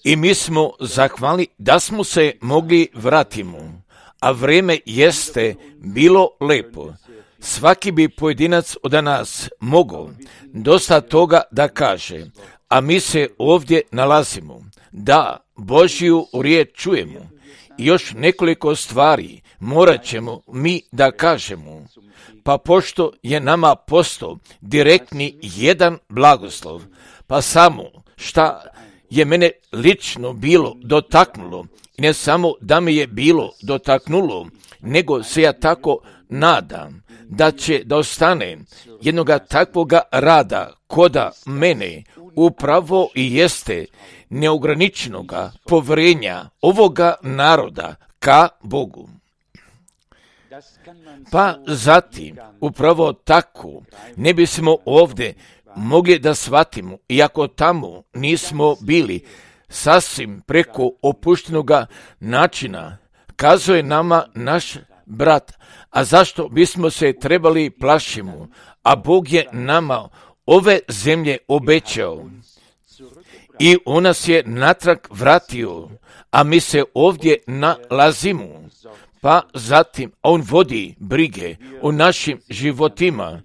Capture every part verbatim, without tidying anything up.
I mi smo zahvalni da smo se mogli vratimo, a vrijeme jeste bilo lepo. Svaki bi pojedinac od nas mogao dosta toga da kaže, a mi se ovdje nalazimo, da Božju riječ čujemo. I još nekoliko stvari morat ćemo mi da kažemo, pa pošto je nama postao direktni jedan blagoslov, pa samo šta je mene lično bilo dotaknulo, i ne samo da me je bilo dotaknulo, nego se ja tako nadam da će da ostane jednoga takvoga rada koda mene upravo i jeste neograničenoga povjerenja ovoga naroda ka Bogu. Pa zatim, upravo tako, ne bismo ovdje mogli da shvatimo, iako tamo nismo bili, sasvim preko opuštenoga načina, kazuje nama naš brat, a zašto bismo se trebali plašimo, a Bog je nama ove zemlje obećao i on nas je natrag vratio, a mi se ovdje nalazimo. Pa zatim on vodi brige o našim životima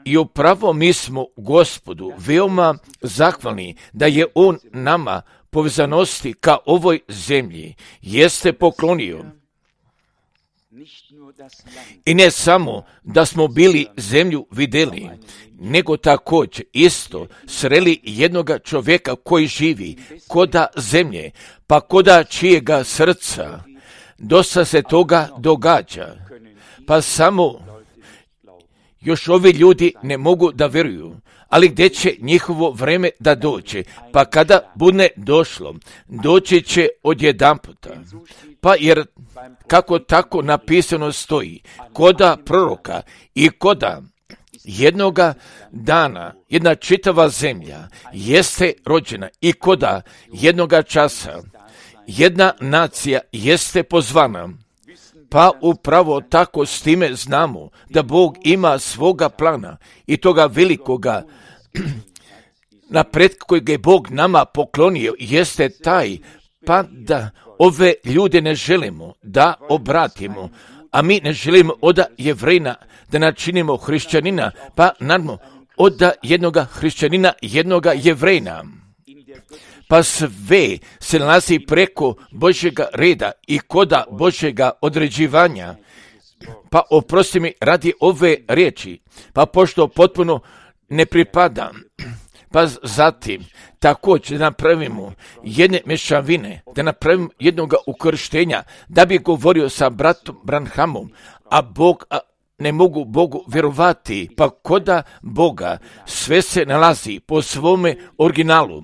i upravo mi smo Gospodu veoma zahvalni da je on nama povezanosti ka ovoj zemlji jeste poklonio. I ne samo da smo bili zemlju vidjeli, nego također isto sreli jednoga čovjeka koji živi koda zemlje, pa koda čijega srca. Dosta se toga događa, pa samo još ovi ljudi ne mogu da vjeruju, ali gdje će njihovo vrijeme da dođe, pa kada bude došlo, doći će odjedanputa. Pa jer kako tako napisano stoji, koda proroka i koda jednoga dana jedna čitava zemlja jeste rođena i koda jednoga časa jedna nacija jeste pozvana, pa upravo tako s time znamo da Bog ima svoga plana i toga velikoga napred kojeg je Bog nama poklonio jeste taj, pa da ove ljude ne želimo da obratimo, a mi ne želimo od Jevrejina da načinimo hrišćanina, pa nadmo od jednoga hrišćanina jednoga Jevrejina. Pa sve se nalazi preko Božjega reda i koda Božjega određivanja. Pa oprosti mi radi ove riječi, pa pošto potpuno ne pripadam, pa zatim također da napravimo jedne mešavine, da napravimo jednoga ukrštenja, da bi govorio sa bratom Branhamom, a Bog a ne mogu Bogu vjerovati, pa koda Boga sve se nalazi po svome originalu.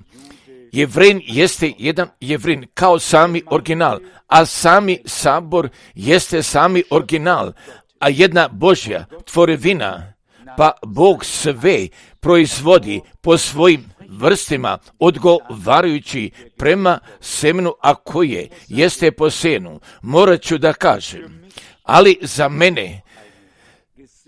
Jevrin jeste jedan Jevrin kao sami original, a sami sabor jeste sami original, a jedna Božja tvorevina, pa Bog sve proizvodi po svojim vrstima odgovarajući prema semenu, a koje jeste po senu. Morat ću da kažem, ali za mene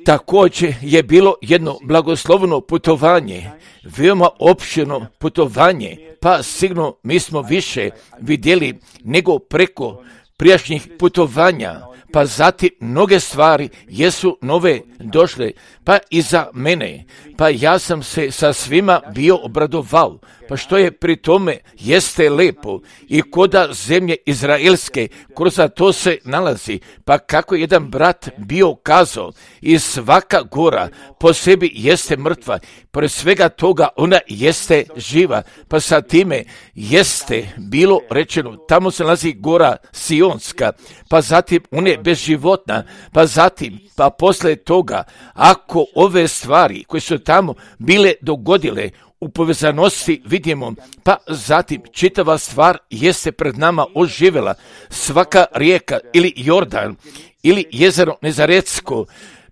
također je bilo jedno blagoslovno putovanje, veoma opširno putovanje, pa sigurno mi smo više vidjeli nego preko prijašnjih putovanja, pa zatim mnoge stvari jesu nove došle, pa i za mene, pa ja sam se sa svima bio obradovao, pa što je pri tome jeste lepo i koda zemlje izraelske, kroz to se nalazi, pa kako jedan brat bio kazao, i svaka gora po sebi jeste mrtva, pored svega toga ona jeste živa, pa sa time jeste bilo rečeno, tamo se nalazi gora Sionska, pa zatim ona je bezživotna, pa zatim, pa posle toga, ako ove stvari koje su tamo bile dogodile, u povezanosti vidimo, pa zatim čitava stvar jeste pred nama oživjela, svaka rijeka ili Jordan ili jezero Nezaretsko,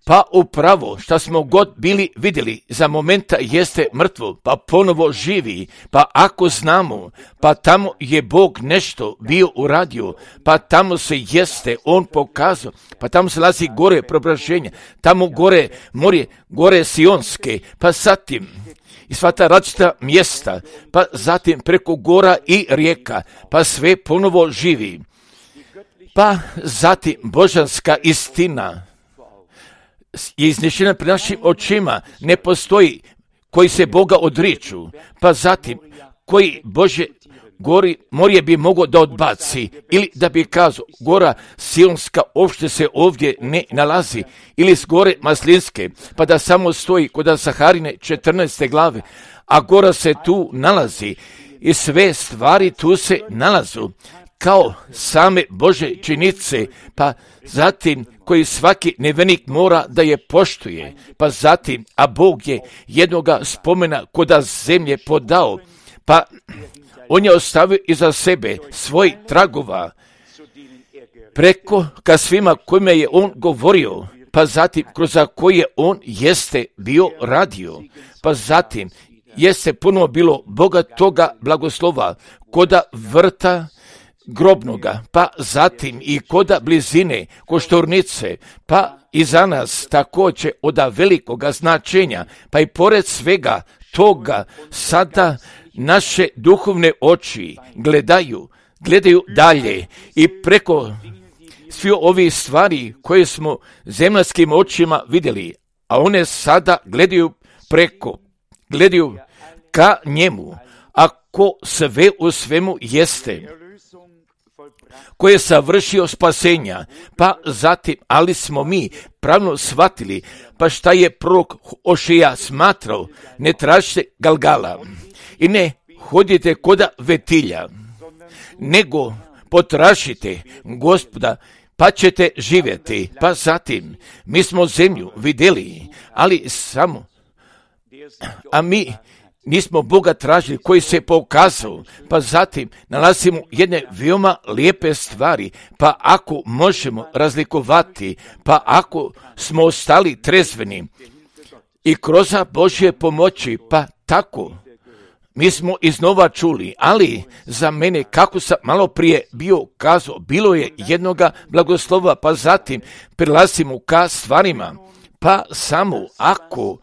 pa upravo što smo god bili vidjeli za momenta jeste mrtvo, pa ponovo živi, pa ako znamo, pa tamo je Bog nešto bio uradio, pa tamo se jeste On pokazao, pa tamo se nalazi gore preobraženja, tamo gore morje, gore Sionske, pa zatim i sva ta različita mjesta, pa zatim preko gora i rijeka, pa sve ponovo živi. Pa zatim božanska istina je iznešena pred našim očima, ne postoji koji se Boga odriču, pa zatim koji Bože gori morje bi mogao da odbaci, ili da bi kazao, gora Sionska uopšte se ovdje ne nalazi, ili s gore Maslinske, pa da samo stoji kod Saharine četrnaeste glave, a gora se tu nalazi i sve stvari tu se nalazu, kao same Bože činice, pa zatim koji svaki nevenik mora da je poštuje, pa zatim, a Bog je jednoga spomena koda zemlje podao, pa On je ostavio iza sebe svoj tragova preko ka svima kojima je On govorio, pa zatim kroz koje je On jeste bio radio, pa zatim jeste puno bilo Boga toga blagoslova koda vrta grobnoga, pa zatim i koda blizine koštornice, pa i za nas također od velikoga značenja, pa i pored svega toga sada naše duhovne oči gledaju, gledaju dalje i preko svi ovi stvari koje smo zemaljskim očima vidjeli, a one sada gledaju preko, gledaju ka njemu, a ko sve u svemu jeste, koji je savršio spasenja, pa zatim, ali smo mi pravno shvatili, pa šta je prorok Ošija smatrao, ne tražite Galgala i ne hodite koda vetilja, nego potražite Gospoda, pa ćete živjeti. Pa zatim, mi smo zemlju vidjeli, ali samo, a mi nismo Boga tražili koji se pokazao, pa zatim nalazimo jedne veoma lijepe stvari, pa ako možemo razlikovati, pa ako smo ostali trezveni i kroz Božje pomoći, pa tako, mi smo iznova čuli, ali za mene, kako sam malo prije bio kazao, bilo je jednoga blagoslova, pa zatim prilazimo ka stvarima, pa samo ako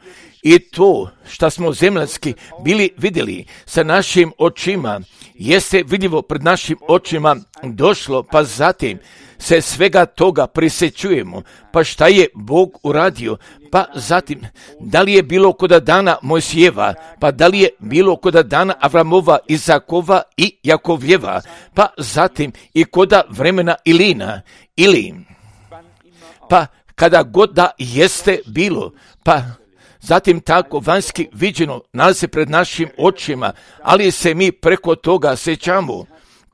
i to što smo zemaljski bili vidjeli sa našim očima, jeste vidljivo pred našim očima došlo, pa zatim se svega toga prisjećujemo, pa šta je Bog uradio, pa zatim da li je bilo koda dana Mojsijeva, pa da li je bilo koda dana Avramova, Izakova i Jakovljeva, pa zatim i koda vremena Ilina, ili pa kada god da jeste bilo, pa zatim tako vanjski viđeno nalazi se pred našim očima, ali se mi preko toga sjećamo,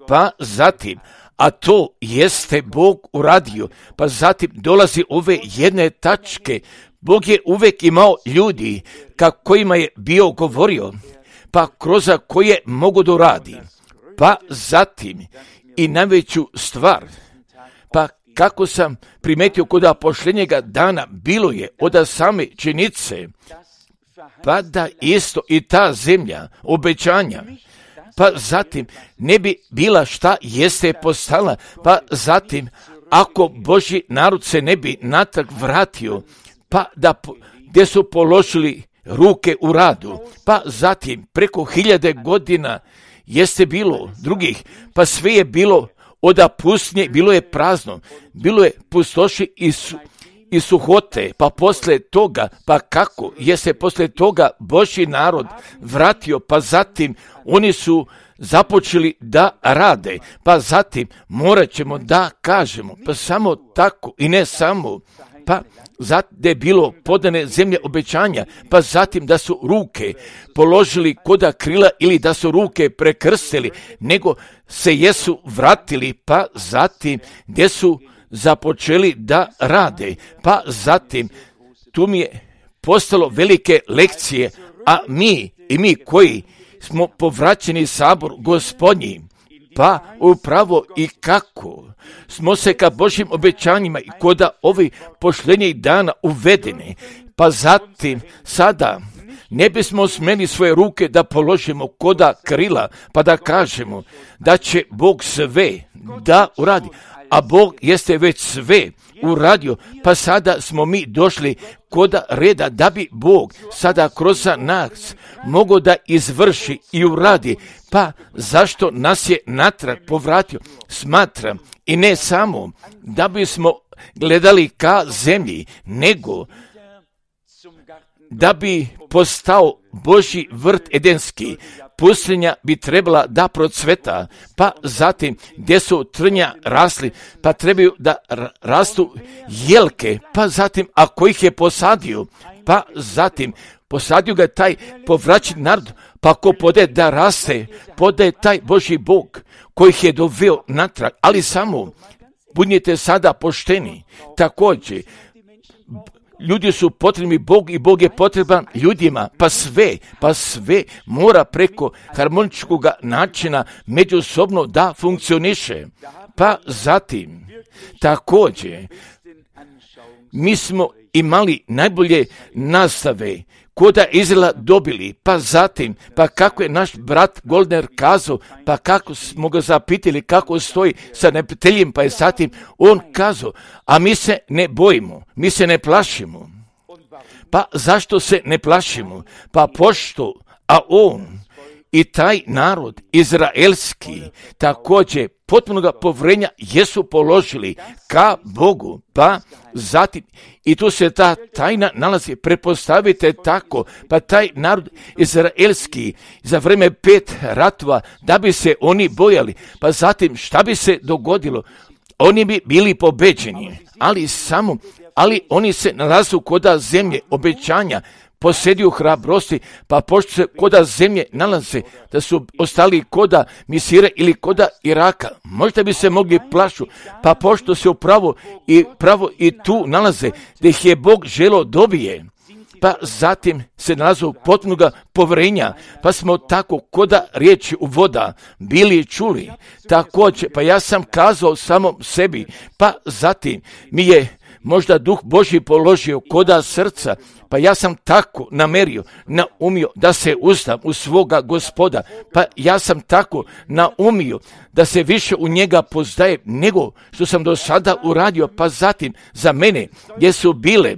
pa zatim, a to jeste Bog uradio, pa zatim dolazi ove jedne tačke, Bog je uvijek imao ljudi ka kojima je bio govorio, pa kroz koje mogu da radi, pa zatim i najveću stvar, pa kako sam primetio kod posljednjega dana, bilo je od same činice, pa da isto i ta zemlja obećanja, pa zatim ne bi bila šta jeste postala, pa zatim ako Božji narod se ne bi natrag vratio, pa da gdje su položili ruke u radu, pa zatim preko hiljade godina jeste bilo drugih, pa sve je bilo od pustnje, bilo je prazno, bilo je pustoši i, su, i suhote, pa posle toga, pa kako je se posle toga Božji narod vratio, pa zatim oni su započeli da rade, pa zatim morat ćemo da kažemo, pa samo tako i ne samo, pa zatim je bilo podane zemlje obećanja, pa zatim da su ruke položili koda krila ili da su ruke prekrstili, nego se jesu vratili, pa zatim gdje su započeli da rade, pa zatim tu mi je postalo velike lekcije, a mi i mi koji smo povraćeni sabor Gospodnji, Pa upravo i kako smo se ka Božjim obećanjima i koda ovih posljednjih dana uvedeni, pa zatim sada ne bismo smjeli svoje ruke da položimo koda krila, pa da kažemo da će Bog sve da uradi, a Bog jeste već sve uradio, pa sada smo mi došli koda reda da bi Bog sada kroz nas mogao da izvrši i uradi, pa zašto nas je natrag povratio? Smatram i ne samo da bismo gledali ka zemlji, nego da bi postao Božji vrt edenski. Pustinja bi trebala da procveta, pa zatim gdje su trnja rasli, pa trebaju da rastu jelke, pa zatim ako ih je posadio, pa zatim posadio ga taj povraćen narod, pa ako pode da raste, pode taj Božji Bog koji ih je doveo natrag, ali samo budite sada pošteni. Također, ljudi su potrebni Bog i Bog je potreban ljudima, pa sve, pa sve mora preko harmoničkog načina međusobno da funkcioniše. Pa zatim, također, mi smo imali najbolje nastave koda Izraela dobili, pa zatim, pa kako je naš brat Goldner kazao, pa kako smo ga zapitali kako stoji sa neprijateljem, pa je zatim on kazao, a mi se ne bojimo, mi se ne plašimo. Pa zašto se ne plašimo? Pa pošto, a on i taj narod izraelski također potpunoga povrenja jesu položili ka Bogu, pa zatim i tu se ta tajna nalazi, prepostavite tako, pa taj narod izraelski za vreme pet ratova, da bi se oni bojali, pa zatim šta bi se dogodilo? Oni bi bili pobeđeni, ali samo, ali oni se nalazu koda zemlje obećanja, posjeduju hrabrosti, pa pošto se koda zemlje nalaze, da su ostali koda Misire ili koda Iraka, možda bi se mogli plašu, pa pošto se upravo i pravo i tu nalaze, da ih je Bog želo dobije, pa zatim se nalazu potpunoga povrenja, pa smo tako koda riječi u voda bili čuli, također, pa ja sam kazao samom sebi, pa zatim mi je možda Duh Božji položio koda srca, pa ja sam tako namerio, naumio da se uzdam u svoga Gospoda, pa ja sam tako naumio da se više u njega poznajem nego što sam do sada uradio, pa zatim za mene gdje su bile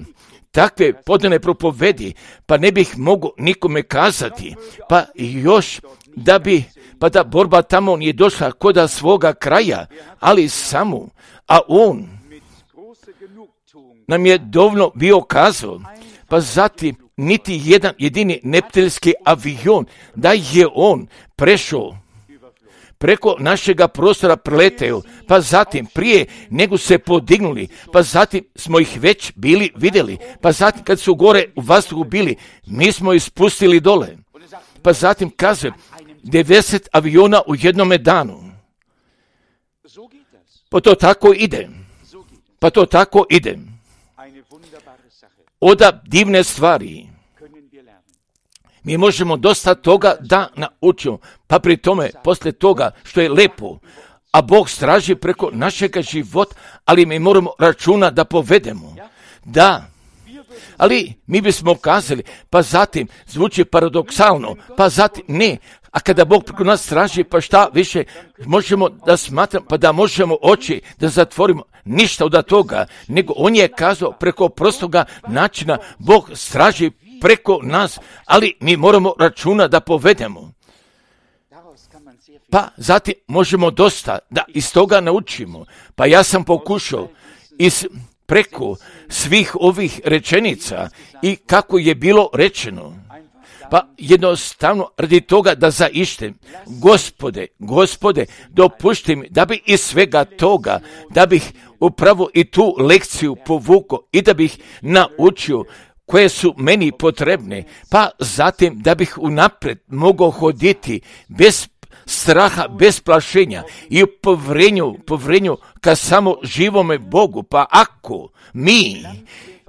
takve podane propovedi, pa ne bih mogao nikome kazati, pa još da bi, pa da borba tamo nije došla koda svoga kraja, ali samo, a on nam je dovoljno bio kazao, pa zatim niti jedan jedini neprijateljski avion da je on prešao preko našega prostora preleteo, pa zatim prije nego se podignuli, pa zatim smo ih već bili vidjeli, pa zatim kad su gore u vazduhu bili, mi smo ih spustili dole, pa zatim kaže devedeset aviona u jednome danu. Pa to tako ide, pa to tako ide. Oda divne stvari. Mi možemo dosta toga da naučimo, pa pri tome, poslije toga što je lepo, a Bog straži preko našega života, ali mi moramo računa da povedemo. Da, ali mi bismo kazali, pa zatim zvuči paradoksalno, pa zatim ne, a kada Bog preko nas straži, pa šta više možemo da smatramo, pa da možemo oči da zatvorimo, ništa od toga, nego on je kazao preko prostoga načina, Bog straži preko nas, ali mi moramo računa da povedemo. Pa zatim možemo dosta da iz toga naučimo. Pa ja sam pokušao iz preko svih ovih rečenica i kako je bilo rečeno. Pa jednostavno radi toga da zaištem, Gospode, Gospode, dopušti mi da bi iz svega toga, da bih upravo i tu lekciju povukao i da bih naučio koje su meni potrebne, pa zatim da bih unaprijed mogao hoditi bez straha, bez plašenja i u povrenju, povrenju ka samo živome Bogu. Pa ako mi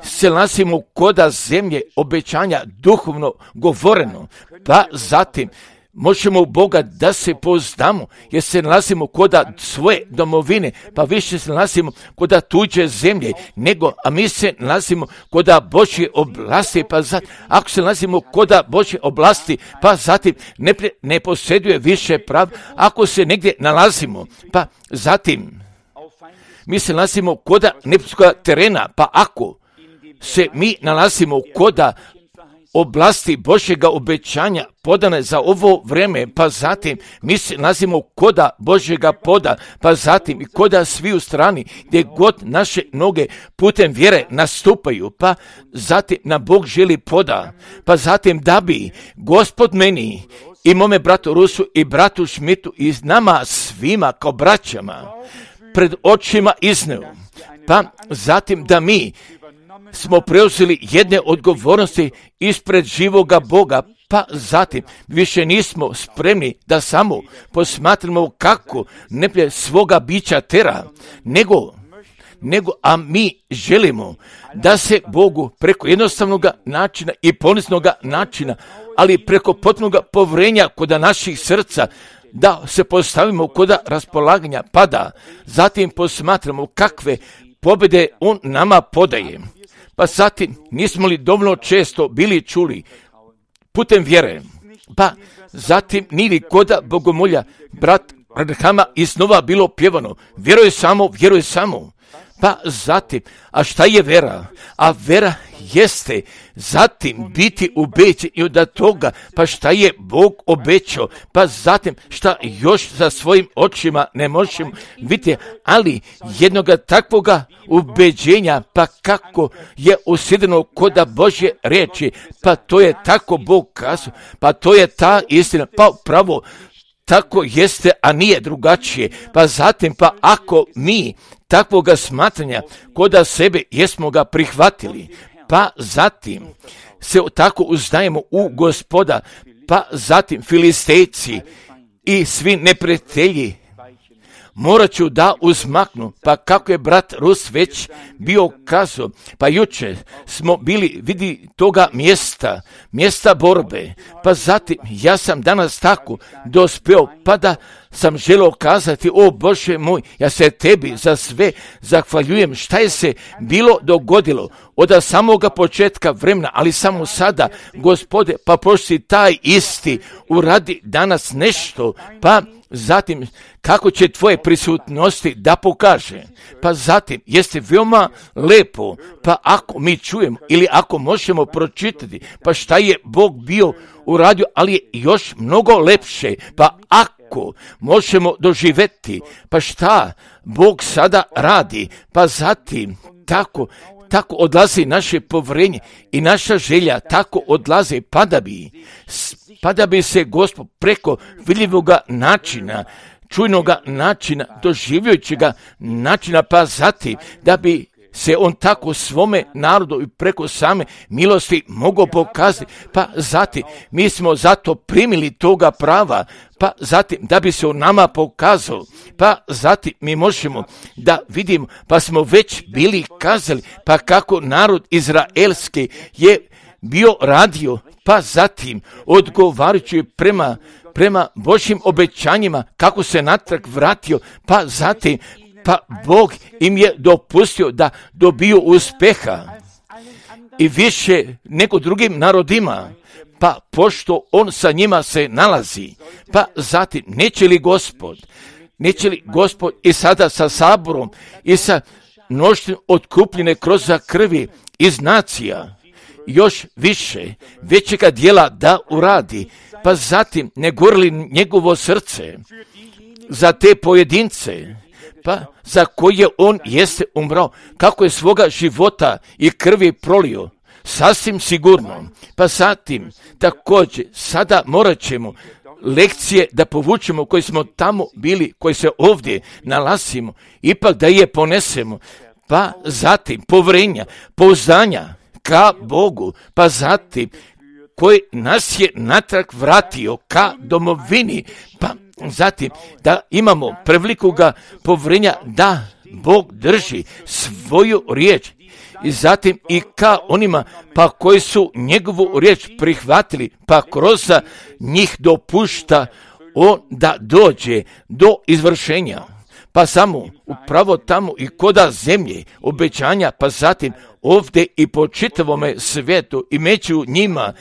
se nalazimo koda zemlje obećanja duhovno govoreno, pa zatim možemo u Boga da se pouzdamo, jer se nalazimo koda svoje domovine, pa više se nalazimo koda tuđe zemlje, nego, a mi se nalazimo koda Božje oblasti, pa zatim, ako se nalazimo koda Božje oblasti, pa zatim ne, ne posjeduje više prav, ako se negdje nalazimo, pa zatim mi se nalazimo koda neprijateljskoga terena, pa ako se mi nalazimo koda oblasti Božjega obećanja podane za ovo vrijeme, pa zatim mi se nalazimo koda Božjega poda, pa zatim i koda svi u strani gdje god naše noge putem vjere nastupaju, pa zatim na Bog želi poda, pa zatim da bi Gospod meni i mome bratu Rusu i bratu Šmitu i nama svima kao braćama pred očima izneo, pa zatim da mi smo preuzeli jedne odgovornosti ispred živoga Boga, pa zatim više nismo spremni da samo posmatramo kako neplje svoga bića tera, nego, nego a mi želimo da se Bogu preko jednostavnog načina i poniznog načina, ali preko potpunog povrenja kod naših srca, da se postavimo kod raspolaganja, pa da zatim posmatramo kakve pobjede On nama podaje. Pa zatim, nismo li dovoljno često bili čuli putem vjere, pa zatim nili koda bogomolja, brat Radhama iznova bilo pjevano, vjeruje samo, vjeruje samo, pa zatim, a šta je vera? A vera jeste zatim biti ubeđen i od toga, pa šta je Bog obećao, pa zatim šta još za svojim očima ne možemo vidjeti, ali jednoga takvoga ubeđenja, pa kako je usidreno koda Božje riječi, pa to je tako Bog kazao, pa to je ta istina, pa pravo tako jeste, a nije drugačije. Pa zatim, pa ako mi takvoga smatranja koda sebe jesmo ga prihvatili, pa zatim se tako uznajemo u Gospoda, pa zatim Filistejci i svi neprijatelji morat ću da uzmaknu, pa kako je brat Rus već bio kazao, pa jučer smo bili vidi toga mjesta, mjesta borbe, pa zatim ja sam danas tako dospeo, pa da sam želio kazati, o Bože moj, ja se tebi za sve zahvaljujem šta je se bilo dogodilo od samoga početka vremena, ali samo sada, Gospode, pa pošto taj isti uradi danas nešto, pa zatim kako će tvoje prisutnosti da pokaže, pa zatim jeste veoma lepo, pa ako mi čujemo ili ako možemo pročitati, pa šta je Bog bio uradio, ali je još mnogo lepše, pa ako možemo doživjeti, pa šta Bog sada radi, pa zatim tako tako odlazi naše povjerenje i naša želja, tako odlaze, pa da bi, pa da bi se Gospod preko vidljivoga načina, čujnoga načina, doživljajućega načina, pa zatim da bi se on tako svome narodu i preko same milosti mogao pokazati, pa zatim mi smo zato primili toga prava, pa zatim da bi se on nama pokazao, pa zatim mi možemo da vidimo, pa smo već bili kazali, pa kako narod izraelski je bio radio, pa zatim odgovarajući prema, prema Božjim obećanjima, kako se natrag vratio, pa zatim pa Bog im je dopustio da dobiju uspeha i više nego drugim narodima, pa pošto on sa njima se nalazi, pa zatim neće li Gospod, neće li Gospod i sada sa saborom i sa mnoštvom otkupljene kroz krvi iz nacija još više većega dijela da uradi, pa zatim ne gorili njegovo srce za te pojedince, pa za koje on jeste umrao, kako je svoga života i krvi prolio, sasvim sigurno. Pa zatim, također, sada morat ćemo lekcije da povučemo koji smo tamo bili, koji se ovdje nalazimo, ipak da je ponesemo, pa zatim povjerenja, pouzdanja ka Bogu, pa zatim koji nas je natrag vratio ka domovini, pa zatim da imamo prevelikoga povjerenja da Bog drži svoju riječ i zatim i ka onima pa koji su njegovu riječ prihvatili, pa kroz njih dopušta on da dođe do izvršenja. Pa samo upravo tamo i koda zemlje obećanja, pa zatim ovdje i po čitavome svijetu i među njima,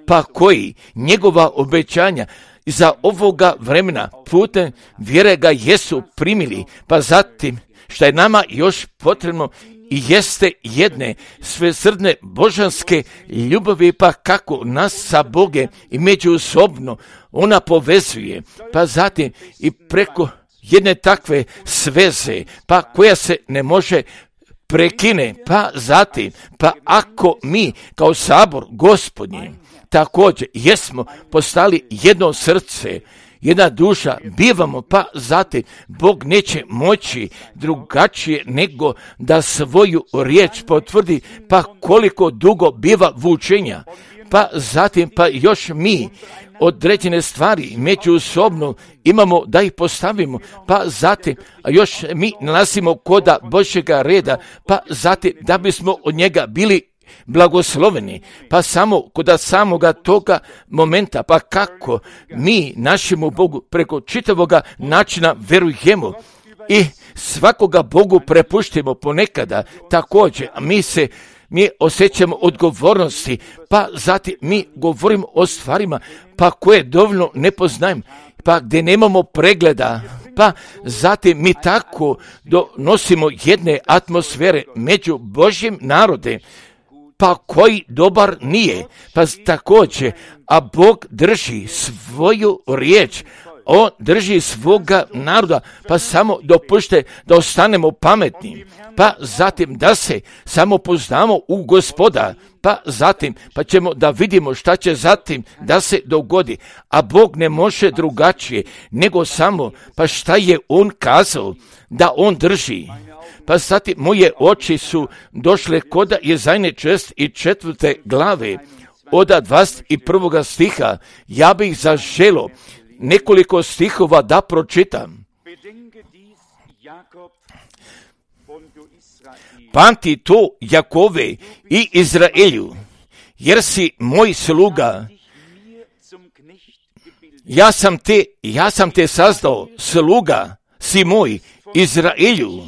pa koji njegova obećanja za ovoga vremena putem vjere ga jesu primili, pa zatim što je nama još potrebno i jeste jedne svesrdne božanske ljubavi, pa kako nas sa Bogom i međusobno ona povezuje, pa zatim i preko jedne takve sveze, pa koja se ne može prekine, pa zatim, pa ako mi kao sabor Gospodnji također jesmo postali jedno srce, jedna duša, bivamo, pa zatim Bog neće moći drugačije nego da svoju riječ potvrdi, pa koliko dugo biva vučenja, pa zatim pa još mi određene stvari međusobno imamo da ih postavimo, pa zatim a još mi nalazimo koda Božjega reda, pa zatim da bismo od njega bili blagosloveni, pa samo kod samoga toga momenta, pa kako mi našemu Bogu preko čitavoga načina verujemo i svakoga Bogu prepuštimo ponekada također, a mi se mi osjećamo odgovornosti, pa zatim mi govorimo o stvarima pa koje dovoljno ne poznajemo, pa gdje nemamo pregleda, pa zatim mi tako donosimo jedne atmosfere među Božjim narodem, pa koji dobar nije, pa također, a Bog drži svoju riječ, on drži svoga naroda, pa samo dopušte da ostanemo pametni, pa zatim da se samo poznamo u Gospoda, pa zatim pa ćemo da vidimo šta će zatim da se dogodi, a Bog ne može drugačije nego samo pa šta je on kazao da on drži. Pa zatim moje oči su došle koda Jezajne šest i četvrte glave od dvadeset prvog stiha. Ja bih zaželo nekoliko stihova da pročitam. Pamti to, Jakove i Izraelju, jer si moj sluga. Ja sam te, ja sam te sazdao, sluga si moj, Izraelju.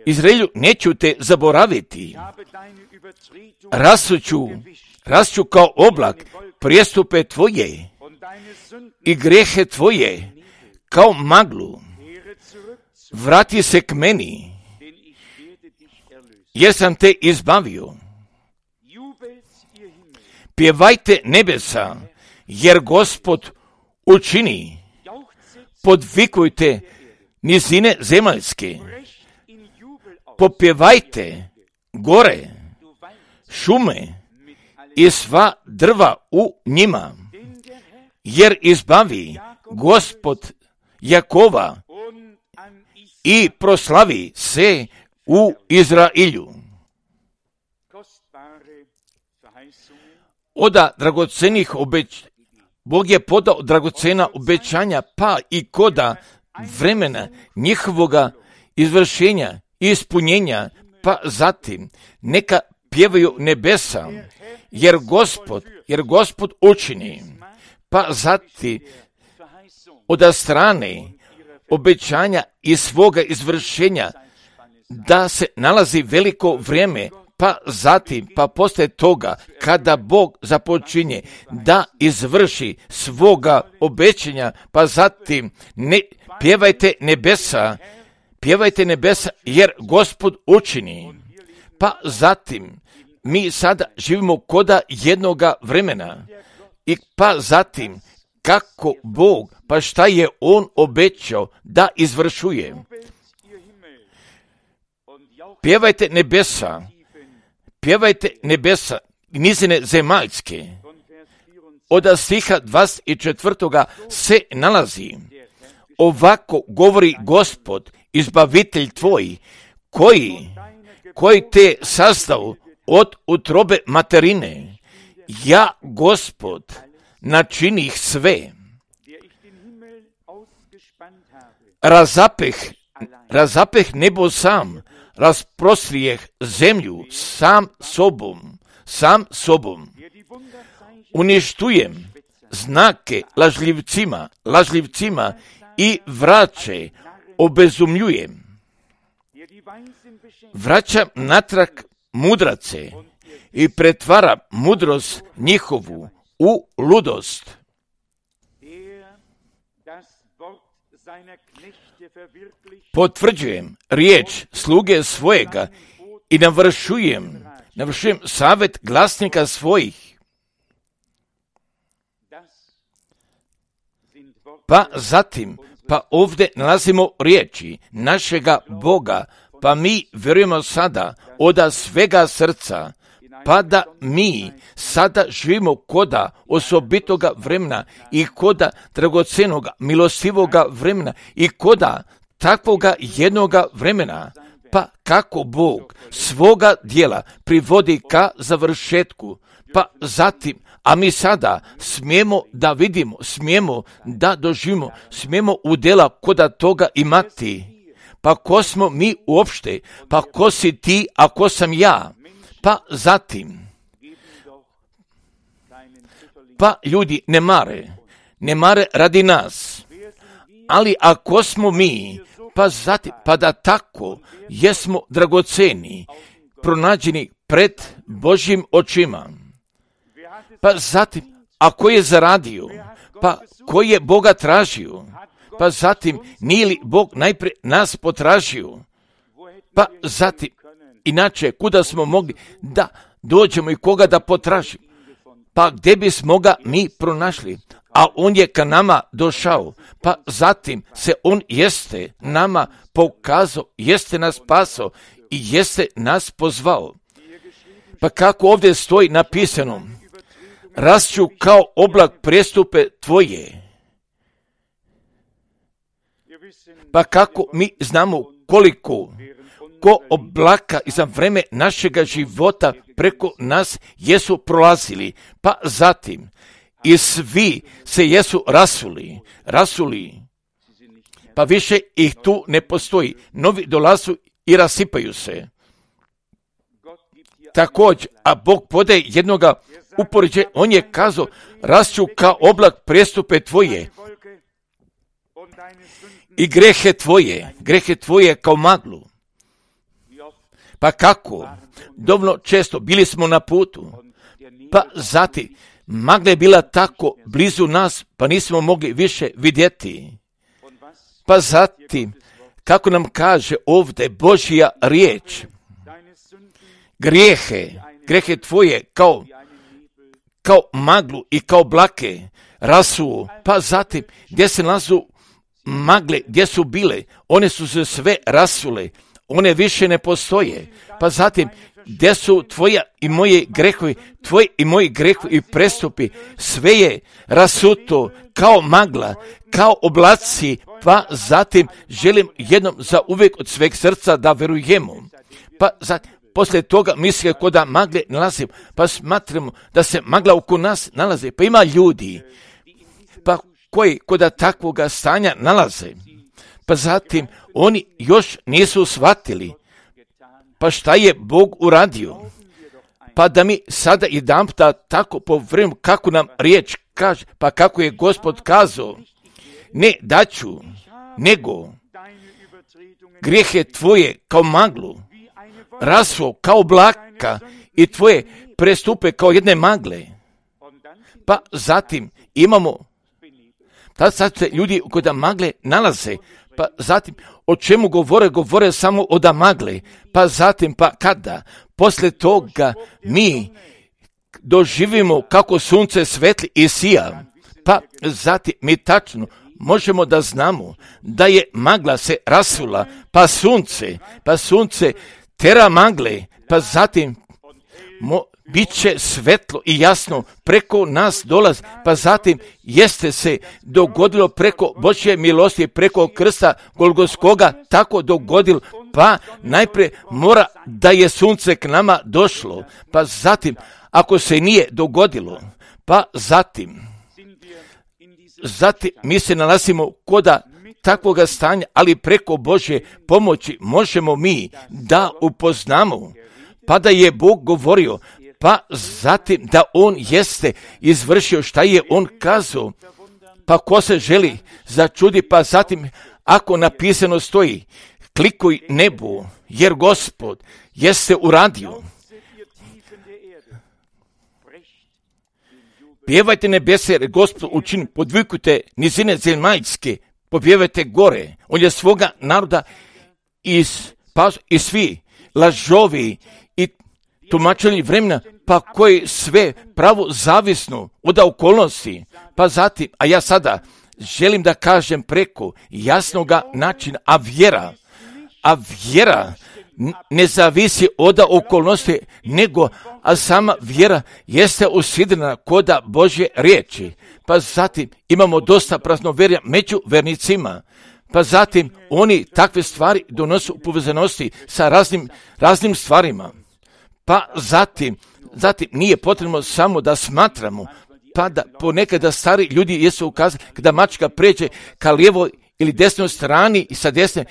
Izraelju, neću te zaboraviti. Rasuću, rasuću kao oblak prijestupe tvoje i grehe tvoje kao maglu. Vrati se k meni, jer sam te izbavio. Pjevajte nebesa, jer Gospod učini. Podvikujte nizine zemaljske. Popjevajte gore, šume i sva drva u njima, jer izbavi Gospod Jakova i proslavi se u Izraelju. Oda dragocenih obećanja, Bog je podao dragocena obećanja, pa i koda vremena njihovoga izvršenja i ispunjenja, pa zatim neka pjevaju nebesa, jer Gospod, jer Gospod učini, pa zatim od strane obećanja i svoga izvršenja da se nalazi veliko vrijeme, pa zatim, pa poslije toga, kada Bog započinje da izvrši svoga obećanja, pa zatim ne, pjevajte nebesa, pjevajte nebesa, jer Gospod učini. Pa zatim, mi sada živimo koda jednoga vremena, i pa zatim, kako Bog, pa šta je On obećao da izvršuje. Pjevajte nebesa, pjevajte nebesa, nizine zemaljske. Od stiha dvadeset četvrtoga se nalazi: ovako govori Gospod, izbavitelj tvoj, koji, koji te sazdao od utrobe materine. Ja, Gospod, načinih sve. Razapeh, razapeh nebo sam, rasprostrijeh zemlju sam sobom, sam sobom. Uništujem znake lažljivcima, lažljivcima i vraće obezumljujem. Vraćam natrag mudrace i pretvaram mudrost njihovu u ludost. Potvrđujem riječ sluge svojega i navršujem, navršujem savjet glasnika svojih. Pa zatim, pa ovdje nalazimo riječi našega Boga, pa mi vjerujemo sada od svega srca, pa da mi sada živimo koda osobitoga vremena i koda dragocenoga, milostivoga vremena i koda takvoga jednoga vremena, pa kako Bog svoga djela privodi ka završetku, pa zatim, a mi sada smijemo da vidimo, smijemo da doživimo, smijemo udjela koda toga imati. Pa ko smo mi uopšte, pa ko si ti, a ko sam ja, pa zatim, pa ljudi ne mare, ne mare radi nas, ali ako smo mi, pa zatim, pa da tako jesmo dragoceni, pronađeni pred Božjim očima, pa zatim, a ko je zaradio, pa ko je Boga tražio, pa zatim, nije li Bog najprije nas potražio, pa zatim, inače, kuda smo mogli da dođemo i koga da potražimo, pa gdje bismo ga mi pronašli, a on je ka nama došao, pa zatim se on jeste nama pokazao, jeste nas spasao i jeste nas pozvao. Pa kako ovdje stoji napisano, rašću kao oblak prestupe tvoje. Pa kako mi znamo koliko ko oblaka i za vreme našega života preko nas jesu prolazili, pa zatim i svi se jesu rasuli, rasuli, pa više ih tu ne postoji, novi dolazu i rasipaju se. Također, a Bog podaje jednoga upoređe, on je kazao, rašću kao oblak prestupe tvoje i grehe tvoje, grehe tvoje kao maglu. Pa kako? Dovoljno često bili smo na putu, pa zatim magla je bila tako blizu nas, pa nismo mogli više vidjeti. Pa zatim, kako nam kaže ovdje Božja riječ, grijehe, grehe tvoje kao, kao maglu i kao blake rasuo, pa zatim gdje se nalazu magle, gdje su bile, one su se sve rasule, one više ne postoje, pa zatim gdje su tvoja i moje grehovi, tvoji i moji grehovi i prestupi, sve je rasuto kao magla, kao oblaci, pa zatim želim jednom za uvijek od sveg srca da verujemo. Pa zatim, poslije toga misle kod da magle nalazimo, pa smatramo da se magla oko nas nalaze, pa ima ljudi, pa koji kod da takvoga stanja nalaze, pa zatim oni još nisu shvatili, pa šta je Bog uradio, pa da mi sada jedanputa tako povremenu kako nam riječ kaže, pa kako je Gospod kazao, ne daću, nego grijehe tvoje kao maglu, rasuo kao blaka i tvoje prestupe kao jedne magle. Pa zatim imamo, tad sad se ljudi kod da magle nalaze, pa zatim o čemu govore, govore samo o da magle, pa zatim pa kada, poslije toga mi doživimo kako sunce svetli i sija, pa zatim mi tačno možemo da znamo da je magla se rasula, pa sunce, pa sunce tera magle, pa zatim mo, bit će svetlo i jasno preko nas dolazi, pa zatim jeste se dogodilo preko Božje milosti, preko krsta Golgotskoga tako dogodilo, pa najprije mora da je sunce k nama došlo, pa zatim ako se nije dogodilo, pa zatim zatim mi se nalazimo koda takvoga stanja, ali preko Božje pomoći možemo mi da upoznamo, pa da je Bog govorio, pa zatim da On jeste izvršio šta je On kazao, pa ko se želi začudi, pa zatim ako napisano stoji, klikuj nebu, jer Gospod jeste uradio. Pjevajte nebese, jer Gospod učini, podvikujte nizine zemaljske, popjevajte gore. On je svoga naroda iz, pa, i svi lažovi i tumačenje vremena, pa koji sve pravo zavisno od okolnosti. Pa zatim, a ja sada želim da kažem preko jasnoga načina, a vjera, a vjera ne zavisi od okolnosti, nego a sama vjera jeste usidrena kod Božje riječi. Pa zatim imamo dosta praznovjerja među vernicima. Pa zatim oni takve stvari donose u povezanosti sa raznim, raznim stvarima. Pa zatim, zatim nije potrebno samo da smatramo, pa da ponekada stari ljudi jesu ukazali kada mačka pređe ka lijevoj ili desnoj strani i sa desne,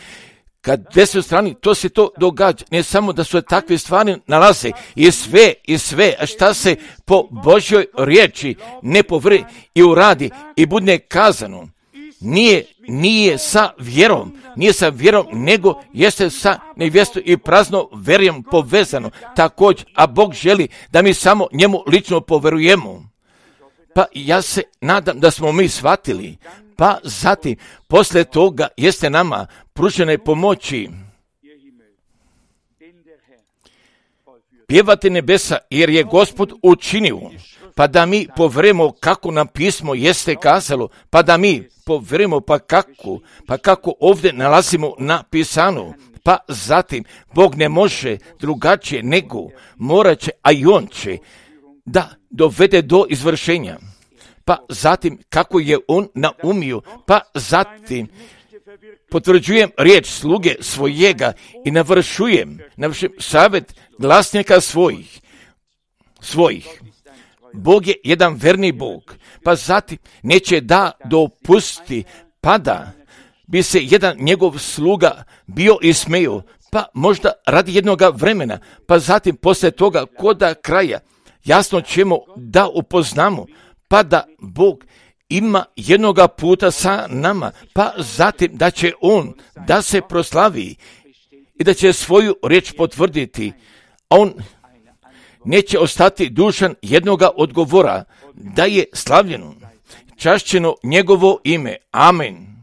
kad desnoj strani, to se to događa. Ne samo da su takve stvari nalaze i sve, i sve, a šta se po Božjoj riječi ne povri i uradi i bude kazano. Nije, nije sa vjerom, nije sa vjerom, nego jeste sa nevjestom i prazno vjerom povezano. Također, a Bog želi da mi samo njemu lično poverujemo. Pa ja se nadam da smo mi shvatili. Pa zatim, poslije toga jeste nama pružene pomoći. Pjevate nebesa, jer je Gospod učinio, pa da mi poverujemo kako nam pismo jeste kazalo, pa da mi poverujemo pa kako, pa kako ovdje nalazimo napisano. Pa zatim, Bog ne može drugačije nego morat će, a i On će da dovede do izvršenja. Pa zatim, kako je On naumio, pa zatim potvrđujem riječ sluge svojega i navršujem, navršujem savjet glasnika svojih, svojih. Bog je jedan verni Bog, pa zatim neće da dopusti, pa da bi se jedan njegov sluga bio ismejao, pa možda radi jednoga vremena, pa zatim poslije toga koda kraja jasno ćemo da upoznamo, pa da Bog ima jednoga puta sa nama, pa zatim da će On da se proslavi i da će svoju riječ potvrditi, a On neće ostati dužan jednoga odgovora, da je slavljeno, čašćeno njegovo ime. Amen.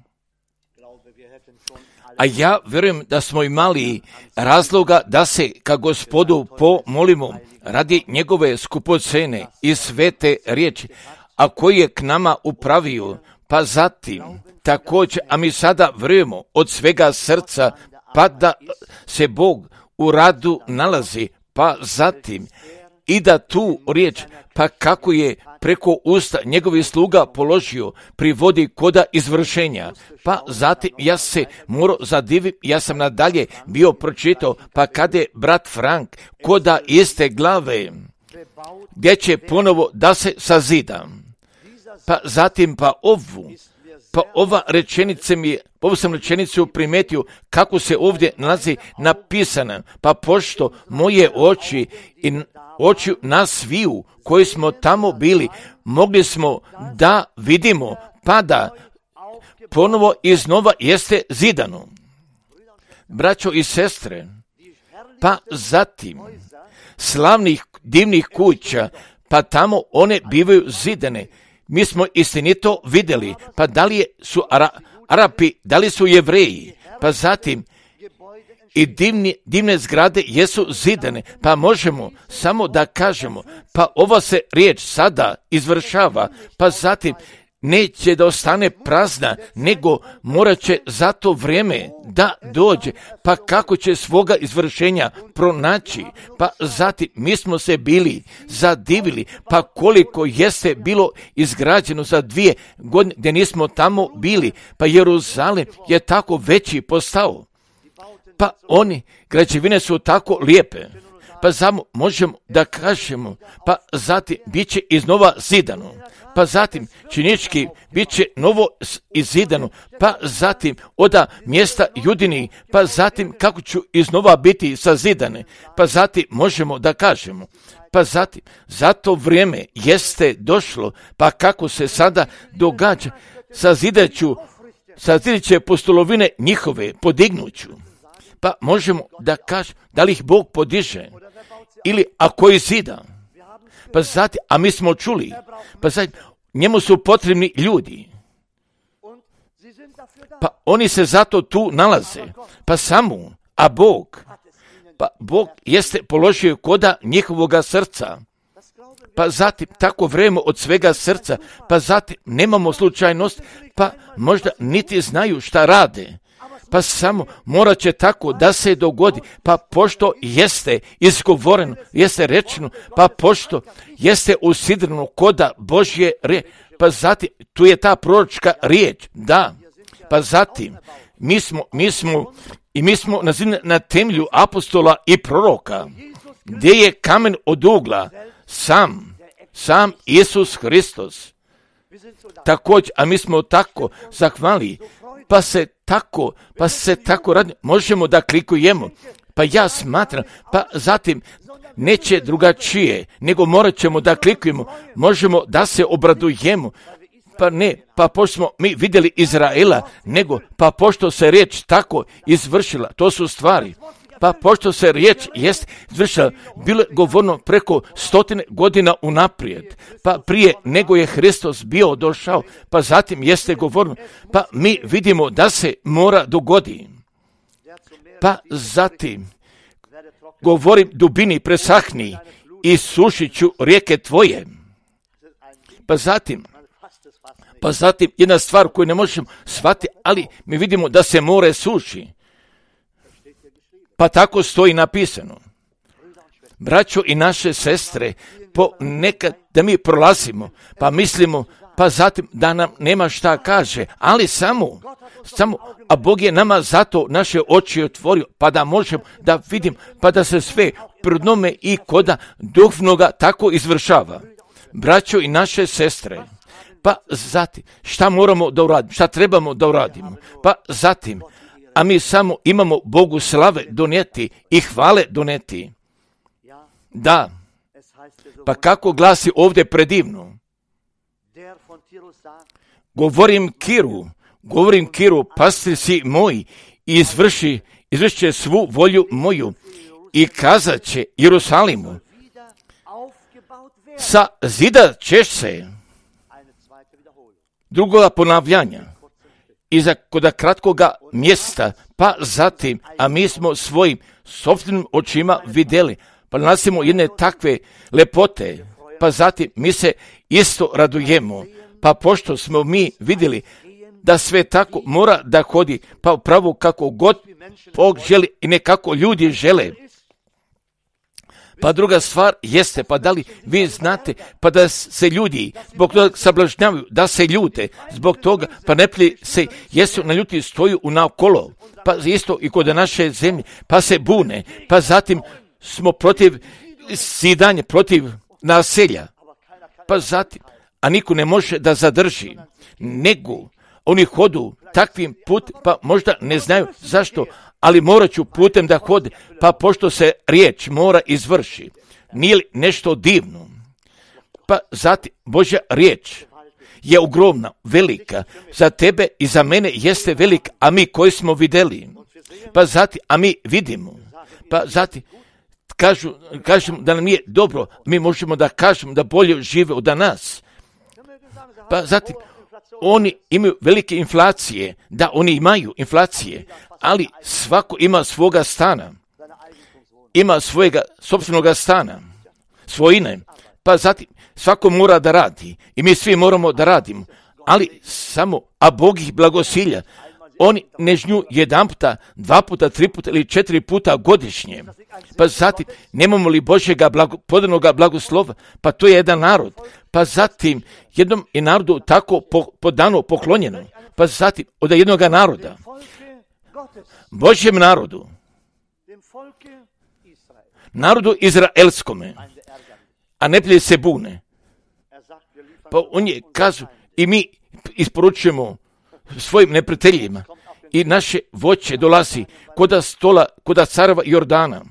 A ja vjerujem da smo imali razloga da se ka Gospodu pomolimo radi njegove skupocene i svete riječi, a koji je k nama upravio, pa zatim također, a mi sada vjerujemo od svega srca, pa da se Bog u radu nalazi, pa zatim i da tu riječ, pa kako je preko usta njegovih sluga položio, privodi koda izvršenja. Pa zatim ja se morao zadivim, ja sam nadalje bio pročitao, pa kada je brat Frank koda iste glave, gdje će ponovo da se sazida. Pa zatim pa ovu, pa ova rečenica mi je, ovu sam rečenicu primetio kako se ovdje nalazi napisana, pa pošto moje oči i oči nas sviju koji smo tamo bili, mogli smo da vidimo, pa da ponovo iznova jeste zidano. Braćo i sestre, pa zatim slavnih divnih kuća, pa tamo one bivaju zidane. Mi smo istinito vidjeli, pa da li su Ara, Arapi, da li su Jevreji, pa zatim i divni, divne zgrade jesu zidane, pa možemo samo da kažemo, pa ova se riječ sada izvršava, pa zatim neće da ostane prazna, nego morat će za to vrijeme da dođe, pa kako će svoga izvršenja pronaći, pa zatim mi smo se bili zadivili, pa koliko jeste bilo izgrađeno za dvije godine gdje nismo tamo bili, pa Jeruzalem je tako veći postao. Pa oni, građevine su tako lijepe, pa samo možemo da kažemo, pa zatim bit će iznova zidano. pa zatim činički bit će novo izidano, pa zatim oda mjesta judini, pa zatim kako ću iznova biti sazidane, pa zatim možemo da kažemo, pa zatim zato vrijeme jeste došlo, pa kako se sada događa, sazidaću, sazidat će postolovine njihove, podignuću. Pa možemo da kažemo, da li ih Bog podiže, ili ako je zida, pa zatim, a mi smo čuli, pa zatim, njemu su potrebni ljudi, pa oni se zato tu nalaze, pa samo, a Bog, pa Bog jeste položio koda njihovoga srca, pa zatim tako vrijeme od svega srca, pa zatim nemamo slučajnost, pa možda niti znaju šta rade, pa samo morat će tako da se dogodi, pa pošto jeste izgovoreno, jeste rečeno, pa pošto jeste usidreno koda Božje riječ, pa zatim tu je ta proročka riječ, da, pa zatim mi smo, mi smo i mi smo na, na temelju apostola i proroka, gdje je kamen od ugla, sam, sam Isus Hristos. Također, a mi smo tako zahvali, pa se tako, pa se tako radi, možemo da klikujemo, pa ja smatram, pa zatim neće drugačije, nego morat ćemo da klikujemo, možemo da se obradujemo, pa ne, pa pošto smo mi vidjeli Izraela, nego, pa pošto se riječ tako izvršila, to su stvari, pa pošto se riječ jest izvršila, bilo je govorno preko stotine godina unaprijed, pa prije nego je Hristos bio došao, pa zatim jeste govorno, pa mi vidimo da se mora dogodi, pa zatim govorim dubini presahni i sušit ću rijeke tvoje, pa zatim, pa zatim jedna stvar koju ne možemo shvatiti, ali mi vidimo da se more suši. Pa tako stoji napisano. Braćo i naše sestre, ponekad da mi prolazimo, pa mislimo, pa zatim da nam nema šta kaže, ali samo, samo, a Bog je nama zato naše oči otvorio, pa da možemo da vidim, pa da se sve pred i koda duhovnoga tako izvršava. Braćo i naše sestre, pa zatim, šta moramo da uradimo, šta trebamo da uradimo, pa zatim, a mi samo imamo Bogu slave donijeti i hvale donijeti. Da, pa kako glasi ovdje predivno? Govorim Kiru, govorim Kiru, pastir si moj, i izvrši, izvrši će svu volju moju i kazat će Jerusalimu, sa zida ćeš se, drugoga ponavljanja, iza koda kratkoga mjesta, pa zatim, a mi smo svojim sopstvenim očima vidjeli, pa nalazimo jedne takve lepote, pa zatim mi se isto radujemo, pa pošto smo mi vidjeli da sve tako mora da hodi, pa upravo kako god Bog želi i ne kako ljudi žele. Pa druga stvar jeste, pa da li vi znate, pa da se ljudi zbog toga sablažnjavaju, da se ljute, zbog toga, pa ne pli se, jesu na ljuti stoju u naokolo, pa isto i kod naše zemlje, pa se bune, pa zatim smo protiv sidanja, protiv naselja, pa zatim, a niko ne može da zadrži, nego oni hodu takvim put, pa možda ne znaju zašto, ali morat ću putem da hode, pa pošto se riječ mora izvrši. Nije li nešto divno? Pa zatim, Božja riječ je ogromna, velika, za tebe i za mene jeste velika, a mi koji smo vidjeli, pa zatim, a mi vidimo, pa zatim, kažu, kažemo da nam nije dobro, mi možemo da kažemo da bolje žive od nas, pa zatim, oni imaju velike inflacije, da oni imaju inflacije, ali svako ima svoga stana, ima svojega sopstvenoga stana, svojine, pa zatim svako mora da radi i mi svi moramo da radimo, ali samo, a Bog ih blagosilja, oni ne žnju jedan puta, dva puta, tri puta ili četiri puta godišnje, pa zatim nemamo li Božjega blago, podanoga blagoslova, pa to je jedan narod, pa zatim jednom je narodu tako po, podano, poklonjeno, pa zatim od jednog naroda, Božjem narodu, narodu izraelskome, a ne prije se bune. Pa on je kazao i mi isporučujemo svojim neprijateljima i naše voće dolazi koda stola, koda careva Jordana.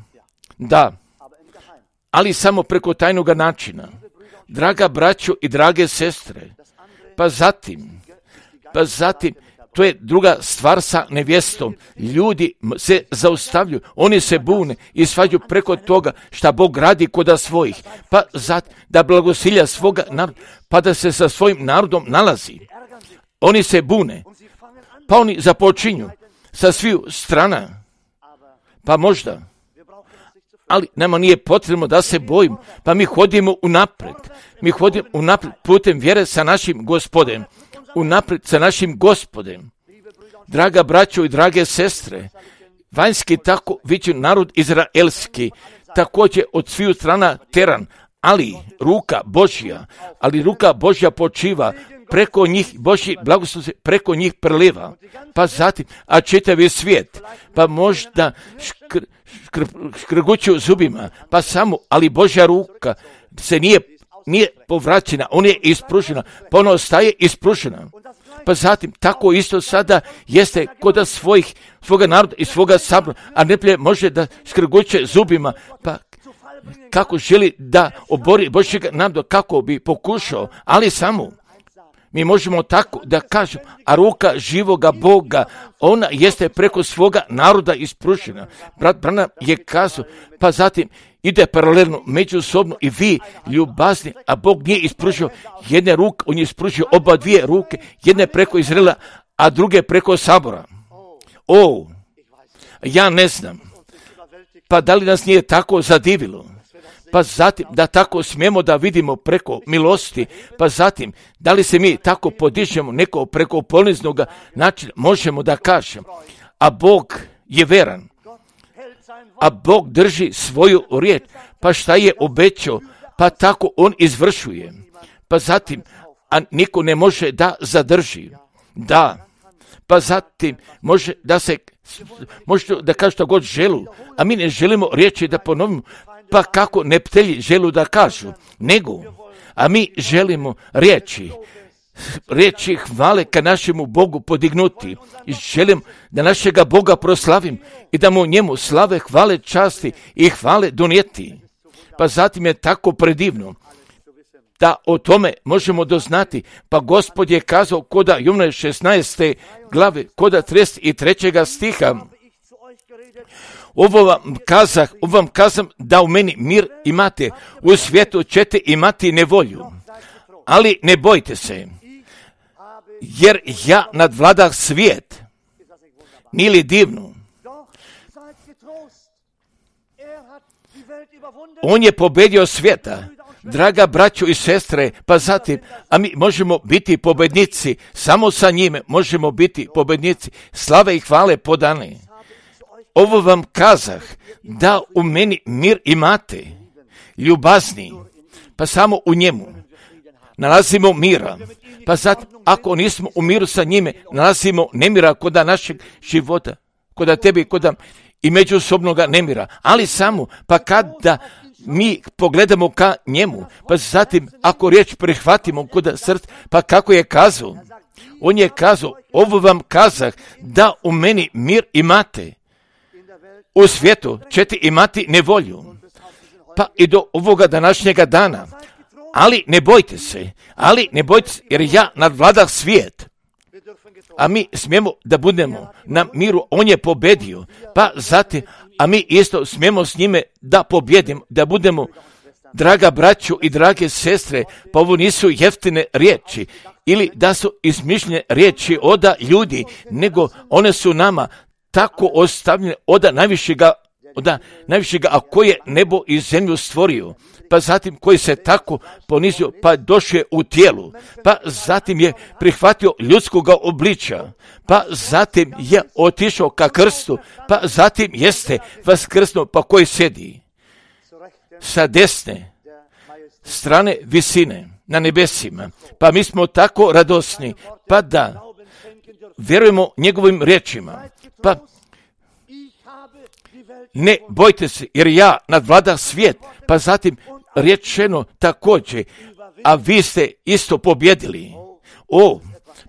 Da, ali samo preko tajnoga načina. Draga braćo i drage sestre, pa zatim, pa zatim, to je druga stvar sa nevjestom. Ljudi se zaustavljaju, oni se bune i svađaju preko toga šta Bog radi koda svojih. Pa zatim, da blagosilja svoga naroda, pa da se sa svojim narodom nalazi. Oni se bune, pa oni započinju sa sviju strana. Pa možda, ali nama nije potrebno da se bojimo, pa mi hodimo unapred. Mi hodimo unapred putem vjere sa našim Gospodem. Unapred sa našim Gospodem. Draga braćo i drage sestre, vanjski tako viđen narod izraelski, također od sviju strana teran, ali ruka Božja, ali ruka Božja počiva preko njih, Božji blagoslov se preko njih preliva. Pa zatim, a čitavi svijet, pa možda škr, škr, škrguću zubima, pa samo, ali Božja ruka se nije nije povraćena, ona je ispružena, pa ona ostaje ispružena. Pa zatim, tako isto sada jeste kod svojih, svoga naroda i svoga sabora, a ne može da škrguće zubima, pa kako želi da obori Božjega naroda, kako bi pokušao, ali samo mi možemo tako da kažemo, a ruka živoga Boga, ona jeste preko svoga naroda ispružena. Brat Branham je kazao, pa zatim ide paralelno, međusobno i vi ljubazni, a Bog nije ispružio jedne ruke, on je ispružio oba dvije ruke, jedne preko Izraela, a druge preko sabora. O, ja ne znam, pa da li nas nije tako zadivilo? Pa zatim, da tako smijemo da vidimo preko milosti, pa zatim, da li se mi tako podižemo neko preko poniznog načina, možemo da kažemo, a Bog je veran, a Bog drži svoju riječ, pa šta je obećao, pa tako on izvršuje. Pa zatim, a niko ne može da zadrži. Da, pa zatim može da se, može da kaže što god želu, a mi ne želimo riječi da ponovimo, pa kako neptelji želu da kažu, nego, a mi želimo riječi, riječi hvale ka našemu Bogu podignuti i želim da našega Boga proslavim i da mu njemu slave, hvale, časti i hvale donijeti. Pa zatim je tako predivno da o tome možemo doznati. Pa Gospod je kazao koda Jovana šesnaeste glave, koda trideset trećeg stiha, ovo vam kazah, ovo vam kazam da u meni mir imate, u svijetu ćete imati nevolju, ali ne bojte se, jer ja nadvladah svijet. Nije li divno? On je pobedio svijeta, draga braćo i sestre, pa zatim, a mi možemo biti pobednici, samo sa njime možemo biti pobednici, slave i hvale podane. Ovo vam kazah, da u meni mir imate, ljubazni, pa samo u njemu nalazimo mira. Pa zatim, ako nismo u miru sa njime, nalazimo nemira koda našeg života, koda tebi, koda i međusobnoga nemira. Ali samo, pa kada mi pogledamo ka njemu, pa zatim, ako riječ prihvatimo koda srca, pa kako je kazao? On je kazao, ovo vam kazah, da u meni mir imate. U svijetu ćete imati nevolju, pa i do ovoga današnjega dana. Ali ne bojte se, ali ne bojte se, jer ja nadvladah svijet. A mi smijemo da budemo na miru, on je pobedio, pa zatim, a mi isto smijemo s njime da pobjedimo, da budemo, draga braćo i drage sestre, pa ovo nisu jeftine riječi, ili da su izmišljene riječi oda ljudi, nego one su nama tako ostavljene oda najvišega, oda najvišega, a koji je nebo i zemlju stvorio, pa zatim koji se tako ponizio, pa došao u tijelu, pa zatim je prihvatio ljudskoga obličja, pa zatim je otišao ka krstu, pa zatim jeste vaskrsnuo, pa koji sjedi sa desne strane visine na nebesima, pa mi smo tako radosni, pa da vjerujemo njegovim riječima, pa ne bojte se, jer ja nadvladah svijet, pa zatim rečeno također, a vi ste isto pobjedili. O,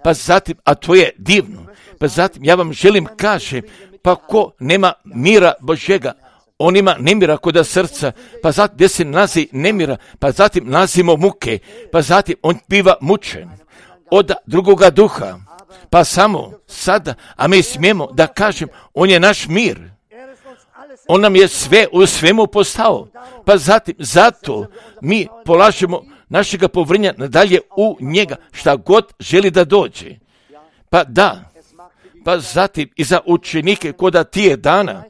pa zatim, a to je divno. Pa zatim, ja vam želim kažem, pa ko nema mira Božjega, on ima nemira koda srca, pa zatim gdje se nalazi nemira, pa zatim nalazimo muke, pa zatim on biva mučen od drugoga duha, pa samo sada, a mi smijemo da kažem, on je naš mir. On nam je sve u svemu postao, pa zatim zato mi polažemo našega povjerenja nadalje u njega, šta god želi da dođe. Pa da, pa zatim i za učenike koda tije dana,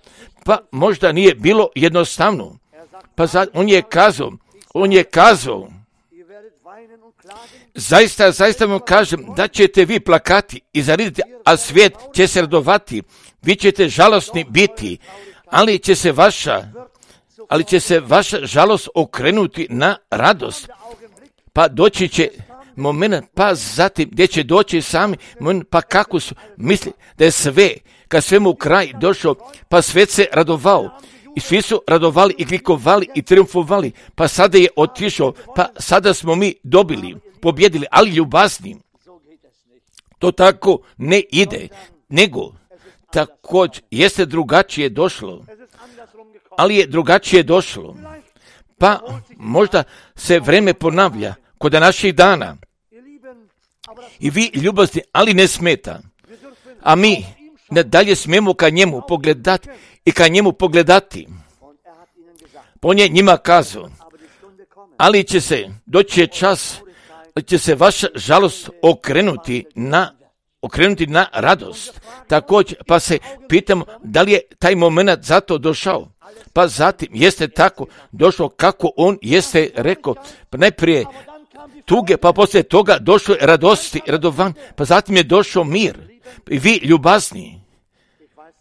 pa možda nije bilo jednostavno. Pa zatim, on je kazao, on je kazao, zaista, zaista vam kažem da ćete vi plakati i zariditi, a svijet će se radovati, vi ćete žalosni biti, ali će se vaša, ali će se vaša žalost okrenuti na radost. Pa doći će moment, pa zatim gdje će doći sami moment, pa kako su misli da je sve, kad svemu kraj došao, pa svet se radovao. I svi su radovali i klikovali i triumfovali, pa sada je otišao, pa sada smo mi dobili, pobjedili, ali ljubazni. To tako ne ide, nego također jeste drugačije došlo, ali je drugačije došlo. Pa možda se vreme ponavlja kod naših dana. I vi ljubazni, ali ne smeta. A mi nadalje smijemo ka njemu pogledati i ka njemu pogledati. On je njima kazao, ali će se, doći je čas, ali će se vaša žalost okrenuti na, okrenuti na radost. Također, pa se pitamo da li je taj moment zato došao. Pa zatim jeste tako došlo kako on jeste rekao, pa najprije tuge, pa poslije toga došlo je radosti, radovan, pa zatim je došao mir. I vi ljubazni,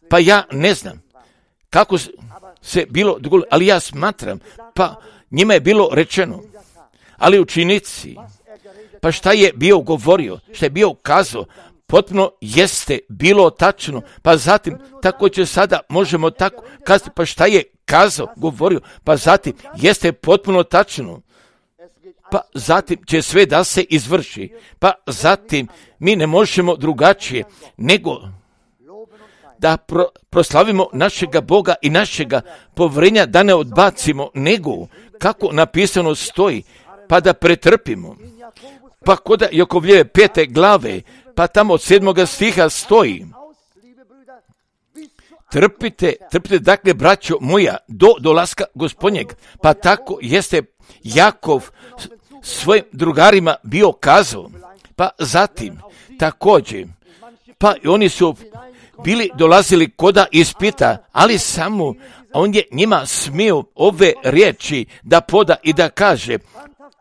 pa ja ne znam kako se bilo dogodilo, ali ja smatram, pa njima je bilo rečeno, ali učenici, pa šta je bio govorio, šta je bio kazao, potpuno jeste bilo tačno, pa zatim tako će sada možemo tako kazati, pa šta je kazao, govorio, pa zatim jeste potpuno tačno, pa zatim će sve da se izvrši, pa zatim mi ne možemo drugačije nego da pro, proslavimo našega Boga i našega povjerenja, da ne odbacimo, nego kako napisano stoji, pa da pretrpimo. Pa kod Jakovljeve pete glave, pa tamo od sedmoga stiha stoji, trpite, trpite dakle, braćo moja, do dolaska Gospodnjeg. Pa tako jeste Jakov svojim drugarima bio kazao, pa zatim također, pa i oni su bili dolazili koda ispita, ali samo on je njima smio ove riječi da poda i da kaže,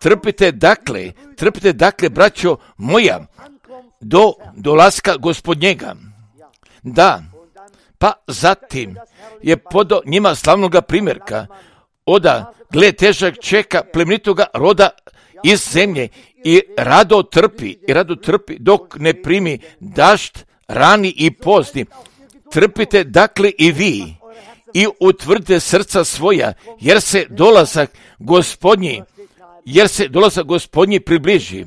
trpite dakle, trpite dakle, braćo moja, do dolaska Gospodnjega. Da, pa zatim je podao njima slavnoga primjerka, oda, gle, težak čeka plemenitoga roda iz zemlje i rado trpi, i rado trpi dok ne primi dašt, rani i pozni. Trpite dakle i vi i utvrdite srca svoja, jer se dolazak Gospodnji, jer se dolazak Gospodnji približi.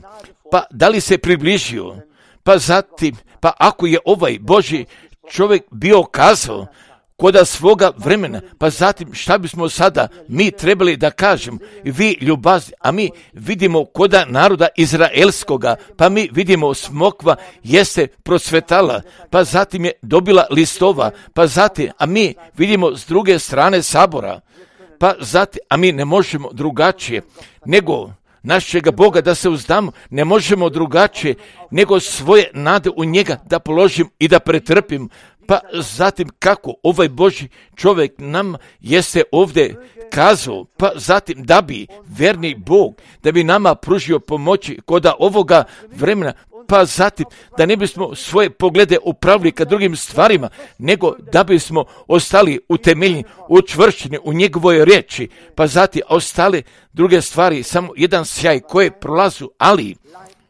Pa da li se približio? Pa zatim, pa ako je ovaj Božji čovjek bio kazao koda svoga vremena, pa zatim šta bismo sada mi trebali da kažemo, vi ljubazni, a mi vidimo koda naroda izraelskoga, pa mi vidimo smokva jeste procvetala, pa zatim je dobila listova, pa zatim, a mi vidimo s druge strane sabora, pa zatim, a mi ne možemo drugačije nego našega Boga da se uzdamo, ne možemo drugačije nego svoje nade u njega da položim i da pretrpim. Pa zatim kako ovaj Božji čovjek nam jeste ovdje kazao, pa zatim da bi verni Bog, da bi nama pružio pomoći koda ovoga vremena, pa zatim da ne bismo svoje poglede upravili ka drugim stvarima, nego da bismo ostali utemeljeni, učvršćeni u njegovoj riječi, pa zatim ostale druge stvari, samo jedan sjaj koje prolazu, ali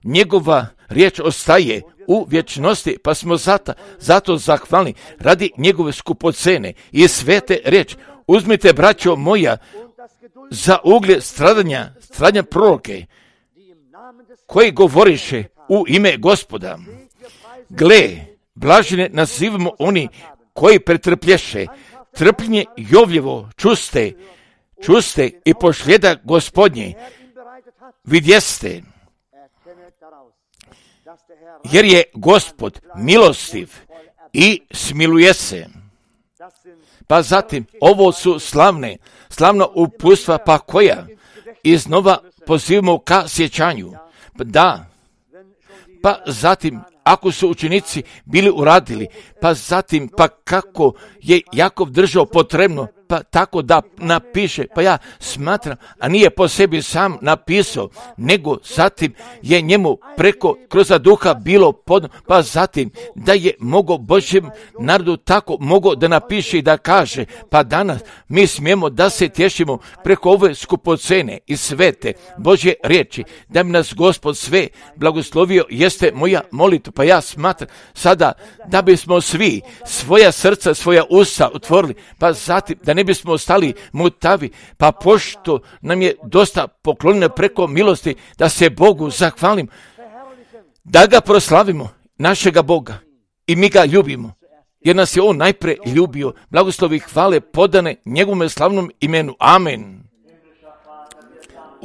njegova riječ ostaje u vječnosti, pa smo zato, zato zahvalni radi njegove skupocene i svete riječ. Uzmite, braćo moja, za ugled stradanja, stradanja proroke, koji govoriše u ime Gospoda. Gle, blažene nazivamo oni koji pretrplješe, trpljenje Jovljevo čuste, čuste i pošljeda Gospodnje, vidjeste, jer je Gospod milostiv i smiluje se. Pa zatim, ovo su slavne, slavna uputstva, pa koja iznova pozivamo ka sjećanju. Da, pa zatim, ako su učenici bili uradili, pa zatim, pa kako je Jakov držao potrebno, pa tako da napiše, pa ja smatram, a nije po sebi sam napisao, nego zatim je njemu preko kroz duha bilo pod, pa zatim da je mogao Božjem narodu tako mogao da napiše i da kaže, pa danas mi smijemo da se tješimo preko ove skupocene i svete Božje riječi, da mi nas Gospod sve blagoslovio, jeste moja molitva, pa ja smatram sada da bismo svi svoja srca, svoja usta otvorili, pa zatim da ne bismo ostali mutavi, pa pošto nam je dosta poklonjeno preko milosti, da se Bogu zahvalim, da ga proslavimo, našega Boga, i mi ga ljubimo, jer nas je On najpre ljubio. Blagoslovi hvale podane njegovom slavnom imenu. Amen.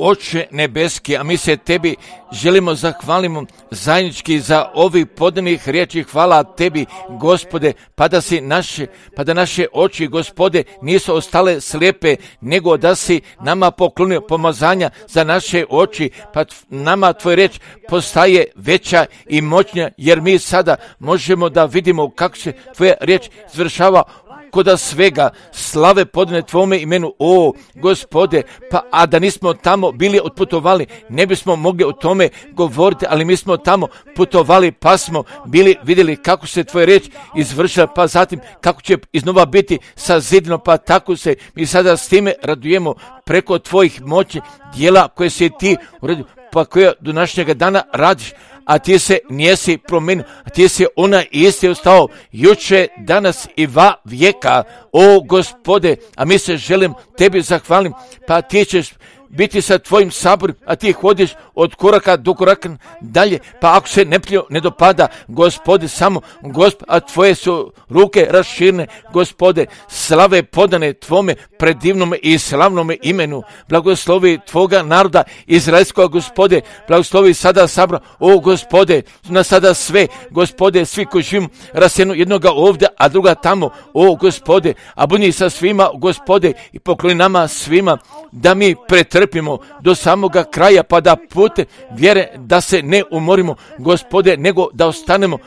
Oče nebeski, a mi se tebi želimo zahvalimo zajednički za ovih podanih riječi. Hvala tebi, Gospode, pa da si naše, pa da naše oči, Gospode, nisu ostale slijepe, nego da si nama poklonio pomazanja za naše oči, pa nama tvoj riječ postaje veća i moćnija, jer mi sada možemo da vidimo kako se tvoja riječ izvršava koda svega, slave podane tvome imenu, o Gospode, pa a da nismo tamo bili otputovali, ne bismo mogli o tome govoriti, ali mi smo tamo putovali, pa smo bili vidjeli kako se tvoja riječ izvršila, pa zatim kako će iznova biti sazidno, pa tako se mi sada s time radujemo preko tvojih moći dijela koje si ti uradio, pa koje do današnjega dana radiš, a ti se nijesi promenio, a ti si onaj isti ostao juče, danas i va vijeka, o Gospode, a mi se želim tebi zahvalim, pa ti ćeš biti sa tvojim saborom, a ti hodiš od koraka do koraka dalje, pa ako se neprijatelju ne dopada, Gospode, samo Gospod, a tvoje su ruke raširne, Gospode, slave podane tvome predivnome i slavnome imenu, blagoslovi tvoga naroda izraelskog, Gospode, blagoslovi sada sabra, o Gospode, na sada sve, Gospode, svi koji živimo rasenu jednoga ovdje, a druga tamo, o Gospode, a budi sa svima, Gospode, i pokloni nama svima, da mi pretrpimo do samoga kraja, pa da pute vjere da se ne umorimo, Gospode, nego da ostanemo,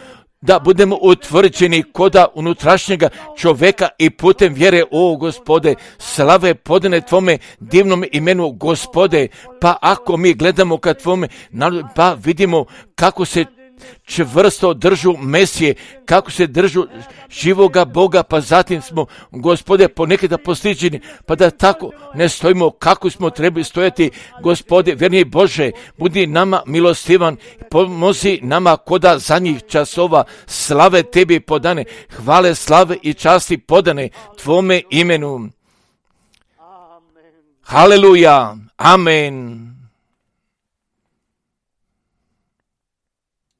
da budemo utvrđeni koda unutrašnjega čovjeka i putem vjere, o Gospode, slave podane tvome divnom imenu, Gospode, pa ako mi gledamo ka tvome narodu, pa vidimo kako se čvrsto držu Mesije, kako se držu živoga Boga, pa zatim smo, Gospode, ponekada postiđeni, pa da tako ne stojimo kako smo trebali stojati, Gospode, vjerni Bože, budi nama milostivan, pomozi nama koda zadnjih časova, slave tebi podane, hvale, slave i časti podane tvome imenu. Haleluja, amen.